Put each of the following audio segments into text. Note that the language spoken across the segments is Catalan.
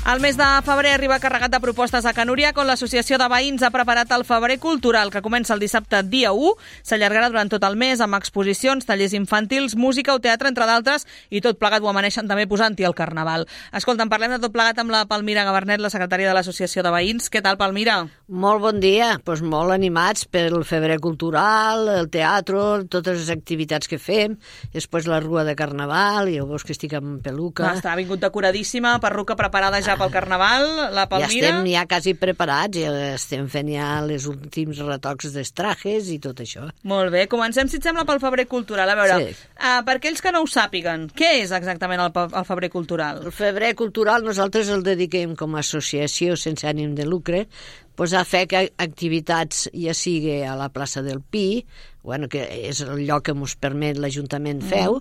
El mes de febrer arriba carregat de propostes a Can Uriac, on l'Associació de Veïns ha preparat el Febrer Cultural, que comença el dissabte dia 1, s'allargarà durant tot el mes amb exposicions, tallers infantils, música o teatre, entre d'altres, i tot plegat ho amaneixen també posant-hi el Carnaval. Escolta, parlem de tot plegat amb la Palmira Gabarnet, la secretària de l'Associació de Veïns. Què tal, Palmira? Molt bon dia, doncs molt animats pel Febrer Cultural, el teatre, totes les activitats que fem, després la rua de Carnaval, i veus que estic amb peluca. Està vingut decoradíssima, perruca preparada ja pel Carnaval, la Palmira. Ja estem ja quasi preparats, ja estem fent ja les últims retocs dels trajes i tot això. Molt bé, comencem, si et sembla, pel Febrer Cultural. A veure, sí. Per aquells que no ho sàpiguen, què és exactament el Febrer Cultural? El Febrer Cultural nosaltres el dediquem com a associació sense ànim de lucre, pues a fer activitats, ja sigui a la plaça del Pi, bueno, que és el lloc que ens permet l'Ajuntament feu,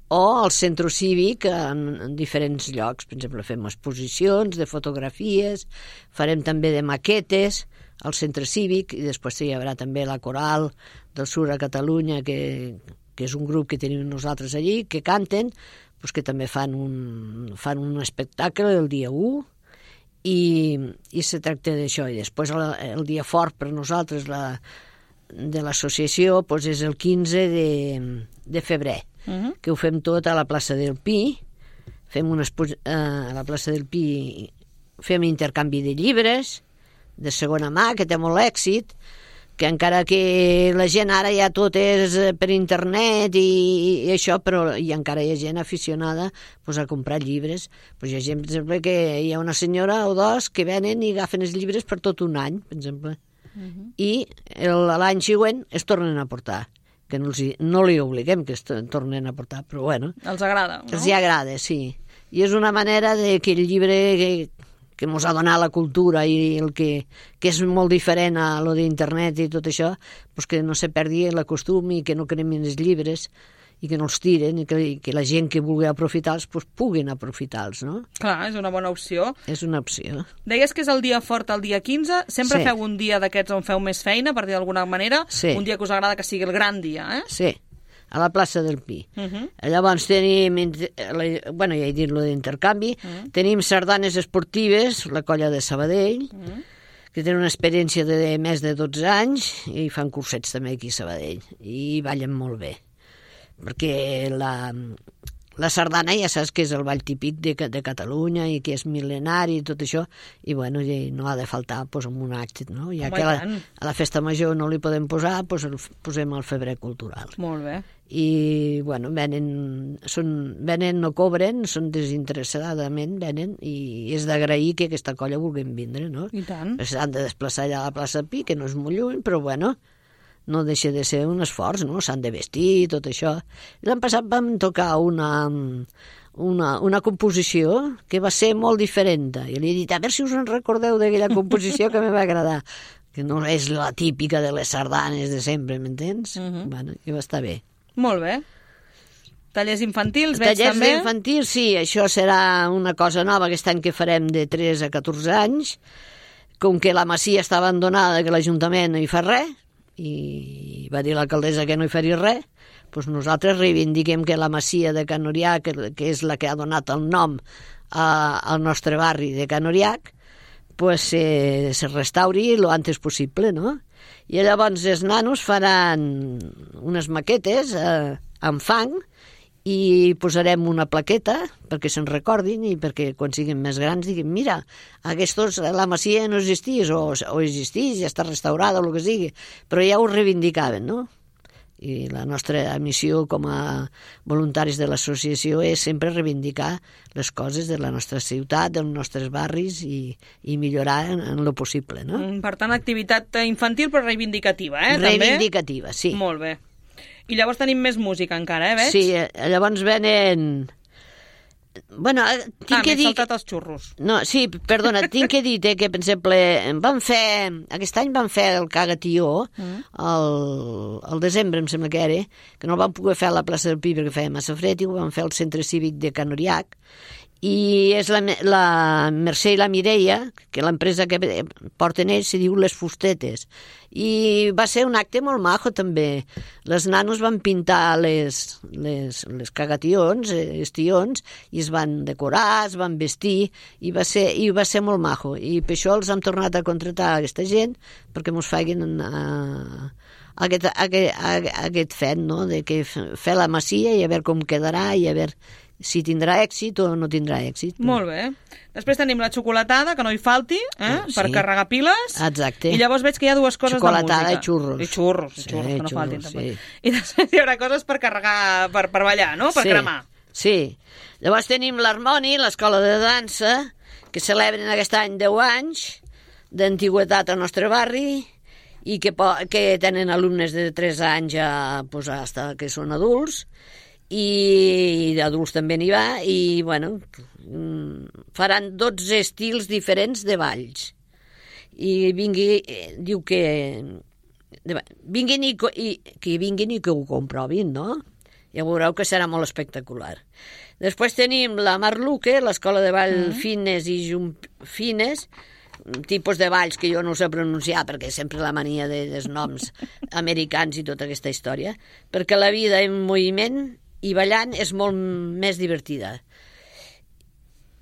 o al centre cívic en diferents llocs. Per exemple, fem exposicions de fotografies, farem també de maquetes al centre cívic, i després hi haurà també la Coral del Sur a Catalunya, que és un grup que tenim nosaltres allí, que canten, pues que també fan un espectacle el dia 1, i se tracta d'això. I després el dia fort per nosaltres de l'associació pues és el 15 de febrer, que ho fem tot a la plaça del Pi. A la plaça del Pi fem intercanvi de llibres de segona mà, que té molt èxit, que encara que la gent ara ja tot és per internet i això, però encara hi ha gent aficionada pues, a comprar llibres. Pues hi ha gent, per exemple, que hi ha una senyora o dos que venen i agafen els llibres per tot un any, per exemple. I l'any següent es tornen a portar, que no li obliguem que es tornen a portar, però bueno. Els agrada, no? Els agrada, sí. I és una manera que el llibre que ens ha donat la cultura i el que és molt diferent a lo d'internet i tot això, pues que no se perdi el costum i que no cremin els llibres i que no els tiren, i que la gent que vulgui aprofitar-los pues, puguin aprofitar-los, no? Clar, és una bona opció. És una opció. Deies que és el dia fort, el dia 15. Sempre sí. Feu un dia d'aquests on feu més feina, per dir d'alguna manera. Sí. Un dia que us agrada que sigui el gran dia, eh? Sí, a la plaça del Pi. Llavors tenim, bueno, ja he dit lo d'intercanvi, tenim sardanes esportives, la colla de Sabadell, que tenen una experiència de més de 12 anys i fan cursets també aquí a Sabadell, i ballen molt bé. Perquè la sardana ja saps que és el ball típic de Catalunya i que és mil·lenari i tot això, i bueno, no ha de faltar pues, en un acte, no? Ja que a la festa major no li podem posar, pues, posem el Febrer Cultural. Molt bé. I bueno, venen, no cobren, són desinteressadament, venen, i és d'agrair que aquesta colla vulguin vindre, no? I tant. S'han de desplaçar allà a la plaça Pi, que no és molt lluny, però bueno, no deixa de ser un esforç, no? S'han de vestir, tot això. L'any passat vam tocar una composició que va ser molt diferent. I li he dit, a veure si us en recordeu d'aquella composició que me va agradar, que no és la típica de les sardanes de sempre, m'entens? Bueno, i va estar bé. Molt bé. Tallers infantils, veig Tallers també? Tallers infantils, sí, això serà una cosa nova aquest any que farem de 3 a 14 anys, com que la masia està abandonada, que l'Ajuntament no hi fa res, i va dir l'alcaldessa que no hi faria res, doncs nosaltres reivindiquem que la masia de Can Uriac, que és la que ha donat el nom al nostre barri de Can Uriac, pues se restauri lo antes possible, no? I llavors els nanos faran unes maquetes amb fang i posarem una plaqueta perquè se'n recordin i perquè quan siguin més grans diguin, mira, la masia no existís o existís, ja està restaurada o el que sigui, però ja ho reivindicaven, no? I la nostra missió com a voluntaris de l'associació és sempre reivindicar les coses de la nostra ciutat, dels nostres barris i millorar en lo possible, no? Per tant, activitat infantil però reivindicativa, eh? Reivindicativa, sí. Molt bé. I llavors tenim més música encara, veig? Sí, llavors venen... Bueno, tinc que dir... m'he saltat els xurros. No, sí, perdona, tinc que dir que, per exemple, aquest any vam fer el Cagatió, al desembre, em sembla que era, que no el vam poder fer a la plaça del Pi perquè feia massa fred, i ho vam fer al centre cívic de Can Uriac, i és la Mercè i la Mireia, que l'empresa que porten ells se diu Les Fustetes, i va ser un acte molt maco també. Les nanos van pintar les cagations, els tions, i es van decorar, es van vestir, i va ser molt maco, i per això els hem tornat a contractar a aquesta gent perquè mos facin aquest fet, no?, de que fer la masia i a veure com quedarà i a veure si tindrà èxit o no tindrà èxit. Molt bé. Després tenim la xocolatada, que no hi falti, per carregar piles. Exacte. I llavors veig que hi ha dues coses de música. Xocolatada i xurros. I xurros, que no faltin. Sí. I després hi haurà coses per carregar, per ballar, no?, per cremar. Sí. Llavors tenim l'Harmoni, l'escola de dansa, que celebren aquest any 10 anys d'antiguitat al nostre barri, i que tenen alumnes de 3 anys fins que són adults, i d'adults també n'hi va, i bueno, faran 12 estils diferents de balls, i diu que vinguin i que ho comprovin, no? Ja veureu que serà molt espectacular. Després tenim la Marluque, l'escola de ball fines i fines, tipus de balls que jo no sé pronunciar perquè sempre la mania dels noms americans i tota aquesta història, perquè la vida en moviment i ballant és molt més divertida.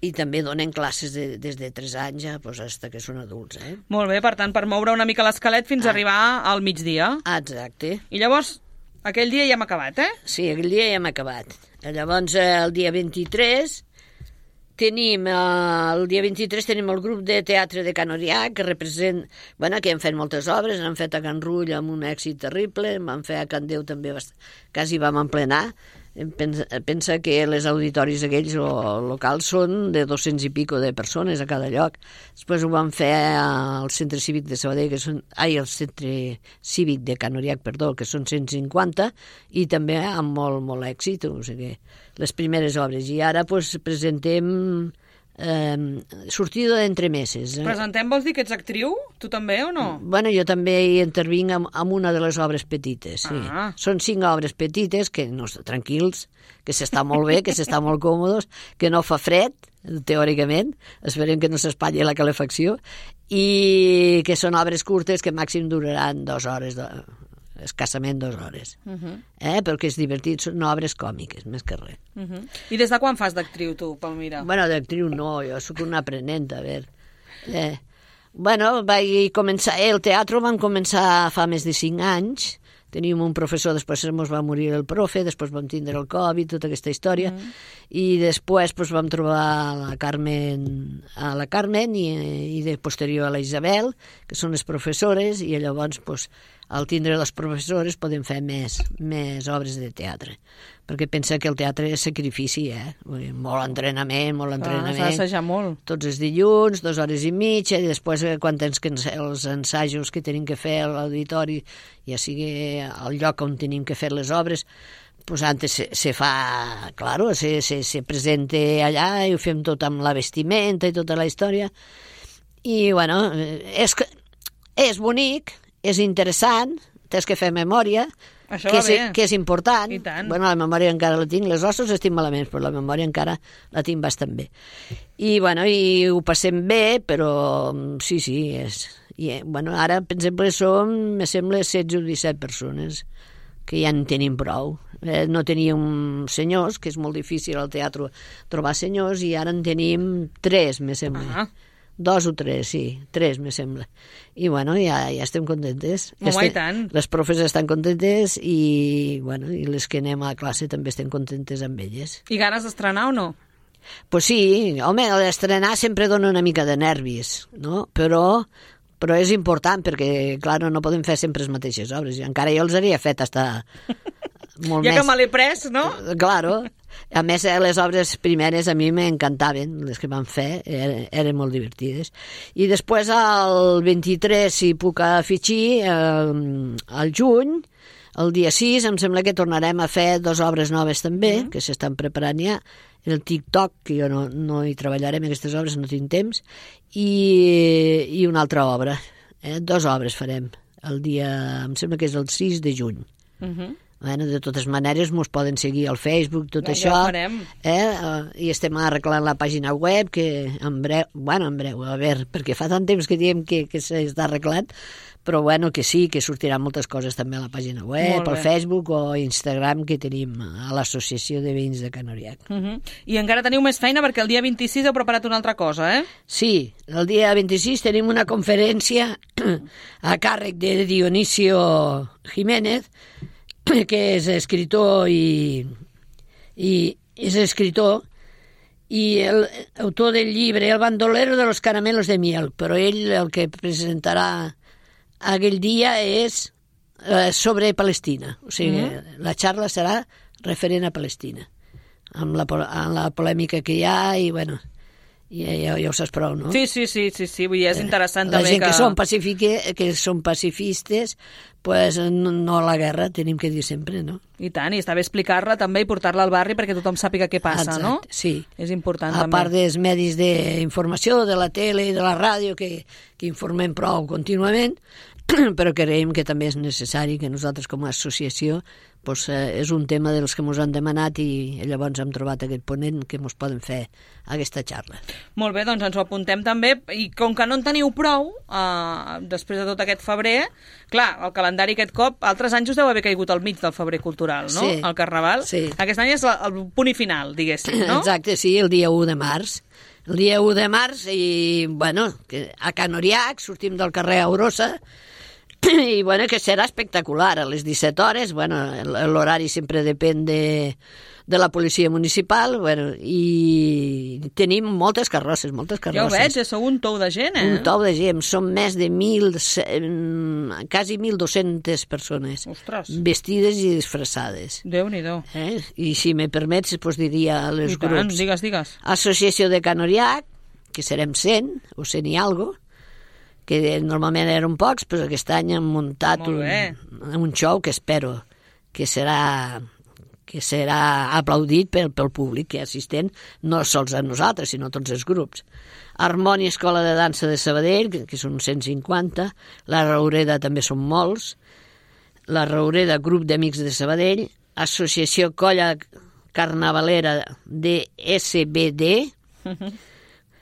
I també donen classes des de 3 anys fins que són adults. Molt bé, per tant, per moure una mica l'esquelet fins a arribar al migdia. Exacte. I llavors, aquell dia ja hem acabat, Sí, aquell dia ja hem acabat. Llavors, el dia 23 tenim el grup de teatre de Can Orià, que que han fet moltes obres, han fet a Can Rull amb un èxit terrible, van fer a Can Déu també, quasi vam emplenar. Pensa que les auditoris aquells locals són de 200 i pico de persones a cada lloc. Després ho van fer al Centre Cívic de Sabadell, al Centre Cívic de Can Orià, que són 150, i també amb molt, molt èxit, o sigui, les primeres obres. I ara presentem sortida d'entremeses. Presentem vols dir que ets actriu? Tu també o no? Bueno, jo també hi intervinc amb una de les obres petites, sí. Són 5 obres petites, que no, tranquils, que s'està molt bé, que s'està molt còmodes, que no fa fred, teòricament, esperem que no s'espatlli la calefacció, i que són obres curtes que màxim duraran 2 hores, escassament 2 hores, perquè és divertit, són obres còmiques, més que res. I des de quan fas d'actriu, tu, Palmira? Bueno, d'actriu no, jo sóc una aprenent, a veure. Bueno, vaig començar, el teatre vam començar fa més de 5 anys, teníem un professor, després ens va morir el profe, després vam tindre el Covid, tota aquesta història, i després vam trobar la Carmen i de posterior a la Isabel, que són les professores, i llavors al tindre les professores podem fer més obres de teatre, perquè pensa que el teatre és sacrifici, molt entrenament, s'ha d'assajar molt. Tots els dilluns, 2 hores i mitja, i després quan tens els ensajos que tenim que fer a l'auditori, ja sigui al lloc on tenim que fer les obres, pues antes se fa, claro, se presenta allà i ho fem tot amb la vestimenta i tota la història, i bueno, és bonic, és interessant, tens que fer memòria, que és important. Bueno, la memòria encara la tinc, les ossos estic malament, però la memòria encara la tinc bastant bé. I bueno, i ho passem bé, però sí, és... I, bueno, ara, per exemple, me sembla 16 o 17 persones, que ja en tenim prou. No teníem senyors, que és molt difícil al teatre trobar senyors, i ara en tenim 3, me sembla. 2 o 3, sí, 3, me sembla. I, bueno, ja estem contentes. I tant. Les profes estan contentes i, bueno, i les que anem a classe també estem contentes amb elles. I ganes d'estrenar o no? Pues sí, home, l'estrenar sempre dona una mica de nervis, no? Però és important perquè, clar, no podem fer sempre les mateixes obres. Encara jo els hauria fet hasta molt més. Ja que me l'he pres, no? Claro. A més, les obres primeres a mi m'encantaven, les que van fer, eren molt divertides. I després, el 23, si puc afegir, al juny, el dia 6, em sembla que tornarem a fer 2 obres noves també, que s'estan preparant ja, el TikTok, que jo no hi treballaré en aquestes obres, no tinc temps, i una altra obra. 2 obres farem, el dia, em sembla que és el 6 de juny. Bueno, de totes maneres, ens poden seguir al Facebook, tot això. Ja ho farem. I estem arreglant la pàgina web, que en breu, a veure, perquè fa tant temps que diem que s'està arreglant, però bueno, que sí, que sortiran moltes coses també a la pàgina web, al Facebook o Instagram que tenim a l'Associació de Veïns de Can Oriach. I encara teniu més feina perquè el dia 26 heu preparat una altra cosa, eh? Sí, el dia 26 tenim una conferència a càrrec de Dionisio Jiménez, que és escritor i l'autor del llibre El bandolero de los caramelos de miel, però ell el que presentarà aquell dia és sobre Palestina, o sigui, la xarra serà referent a Palestina, amb la polèmica que hi ha i, bueno, ja ho saps prou, no? Sí, vull dir, és interessant la també gent que són pacifistes, pues no a la guerra, tenim que dir sempre, no? I tant, i està bé explicar-la també i portar-la al barri perquè tothom sàpiga què passa, exacte, no? Sí. És important a també. A part dels medis d'informació, de la tele i de la ràdio, que informem prou contínuament, però creiem que també és necessari que nosaltres com a associació doncs, és un tema dels que ens han demanat i llavors hem trobat aquest ponent que ens poden fer aquesta xarra. Molt bé, doncs ens ho apuntem també, i com que no en teniu prou, després de tot aquest febrer, clar, el calendari aquest cop, altres anys us deu haver caigut al mig del febrer cultural, no? Sí. El Carnaval. Sí. Aquest any és el punt i final, diguéssim, no? Exacte, sí, el dia 1 de març. El dia 1 de març i, bueno, a Can Oriach, sortim del carrer Aurosa, i bueno, que serà espectacular a les 17 hores, bueno, l'horari sempre depèn de la policia municipal, bueno, i tenim moltes carrosses. Ja ho veig, sou un tou de gent, Un tou de gent, som més de quasi 1.200 persones. Ostres. Vestides i disfressades. Déu-n'hi-do. I si me permets, doncs diria als grups. Digues. Associació de Can Oriach, que serem 100 o 100 i algo, que normalment eren pocs, però aquest any hem muntat un show que espero que serà aplaudit pel públic que assistent, no sols a nosaltres, sinó a tots els grups. Harmònia Escola de Dansa de Sabadell, que són 150, la Raureda també són molts, la Raureda Grup d'Amics de Sabadell, Associació Colla Carnavalera de SBD,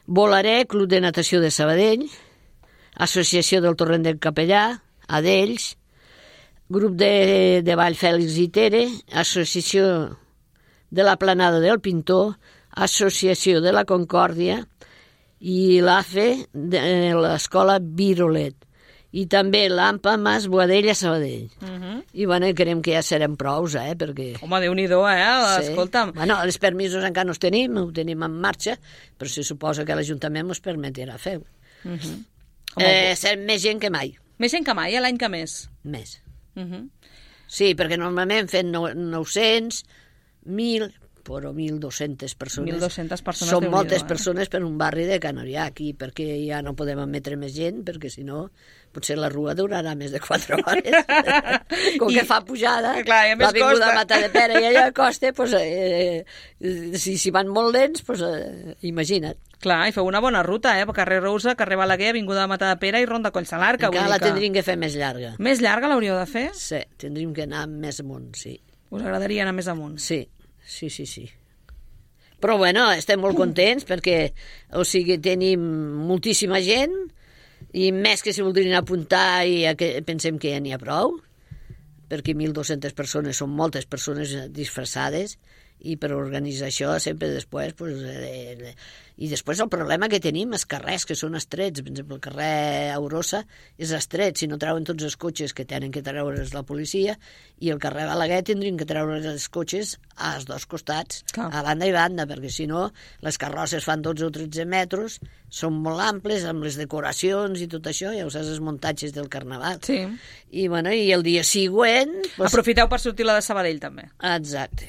Volaré, Club de Natació de Sabadell, Associació del Torrent del Capellà, Adells, Grup de Ball Fèlix i Tere, Associació de la Planada del Pintor, Associació de la Concòrdia i l'AFE de l'Escola Virolet. I també l'AMPA Mas Boadella Sabadell. I bueno, creiem que ja serem prous, perquè... Home, Déu-n'hi-do, escolta'm. Bueno, els permisos encara no els tenim, ho tenim en marxa, però se suposa que l'Ajuntament ens permetrà fer-ho. Serem més gent que mai. Més gent que mai, l'any que més? Més. Sí, perquè normalment fem 900, 1.000, però 1.200 persones. 1.200 persones, Són moltes persones per un barri de Can Oriach, i perquè ja no podem admetre més gent, perquè si no, potser la rua durarà més de 4 hores. Com que fa pujada, l'avinguda Matadepera i allà costa, si van molt lents, imagina't. Clar, i feu una bona ruta, carrer Rousa, carrer Balaguer, avinguda Matadepera i Ronda Collsalarca. Encara la tindríem que fer més llarga. Més llarga l'hauríeu de fer? Sí, tindríem que anar més amunt, sí. Us agradaria anar més amunt? Sí. Però bueno, estem molt contents perquè, o sigui, tenim moltíssima gent i més que si voldrien apuntar i pensem que ja n'hi ha prou, perquè 1.200 persones són moltes persones disfressades i per organitzar això sempre després i després el problema que tenim és carrers que són estrets. Per exemple, el carrer Aurosa és estret, si no treuen tots els cotxes que tenen que treure's la policia, i el carrer Balaguer tindrien que treure els cotxes als dos costats, a banda i banda, perquè si no les carrosses fan 12 o 13 metres, són molt amples amb les decoracions i tot això, ja ho saps, els muntatges del Carnaval. Sí. I el dia següent... Aprofiteu per sortir la de Sabadell també. Exacte.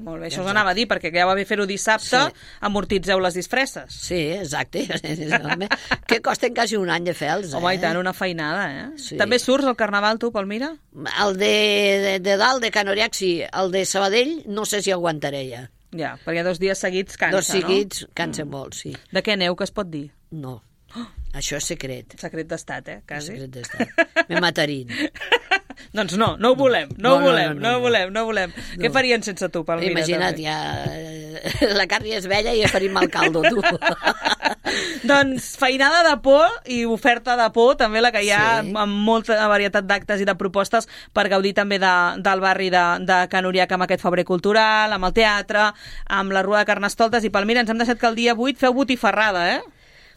Molt bé, això us anava a dir, perquè ja va bé fer-ho dissabte, amortitzeu les disfresses. Sí, exacte. Que costen quasi un any de fer-los. Home, i tant, una feinada, Sí. També surts al Carnaval, tu, Palmira? El de dalt, de Can Oriach, sí. El de Sabadell, no sé si aguantaré ja. Ja, perquè 2 dies seguits cansa, 2 seguits cansa molt, sí. De què aneu, que es pot dir? No. Això és secret. Secret d'estat, quasi. Secret d'estat. Me matarien. Doncs no ho volem, no ho volem. Què farien sense tu, Palmira? Imagina't, ja la carn ja és vella i ja faríem mal caldo, tu. Doncs feinada de por i oferta de por, també la que hi ha amb molta varietat d'actes i de propostes per gaudir també del barri de Can Uriac amb aquest febrer cultural, amb el teatre, amb la Rua de Carnestoltes. I Palmira, ens hem deixat que el dia 8 feu botifarrada, eh?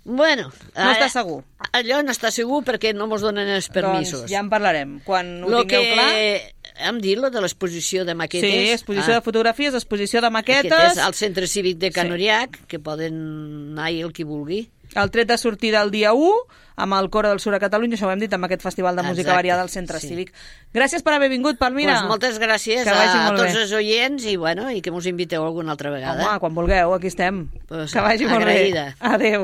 Bueno, no està segur. Allò no està segur perquè no mos donen els permisos. Doncs ja en parlarem. Quan ho tingueu clar... Hem dit lo de l'exposició de maquetes. Sí, exposició de fotografies, exposició de maquetes. Aquest és al Centre Cívic de Can Uriac, que poden anar-hi el qui vulgui. El tret de sortida el dia 1, amb el Coro del Sur a Catalunya, això ho hem dit, amb aquest festival de música variada al Centre Cívic. Gràcies per haver vingut, Palmira. Pues moltes gràcies a tots els oients i que mos inviteu alguna altra vegada. Home, quan vulgueu, aquí estem. Pues que vagi molt bé. Agraïda. Adéu.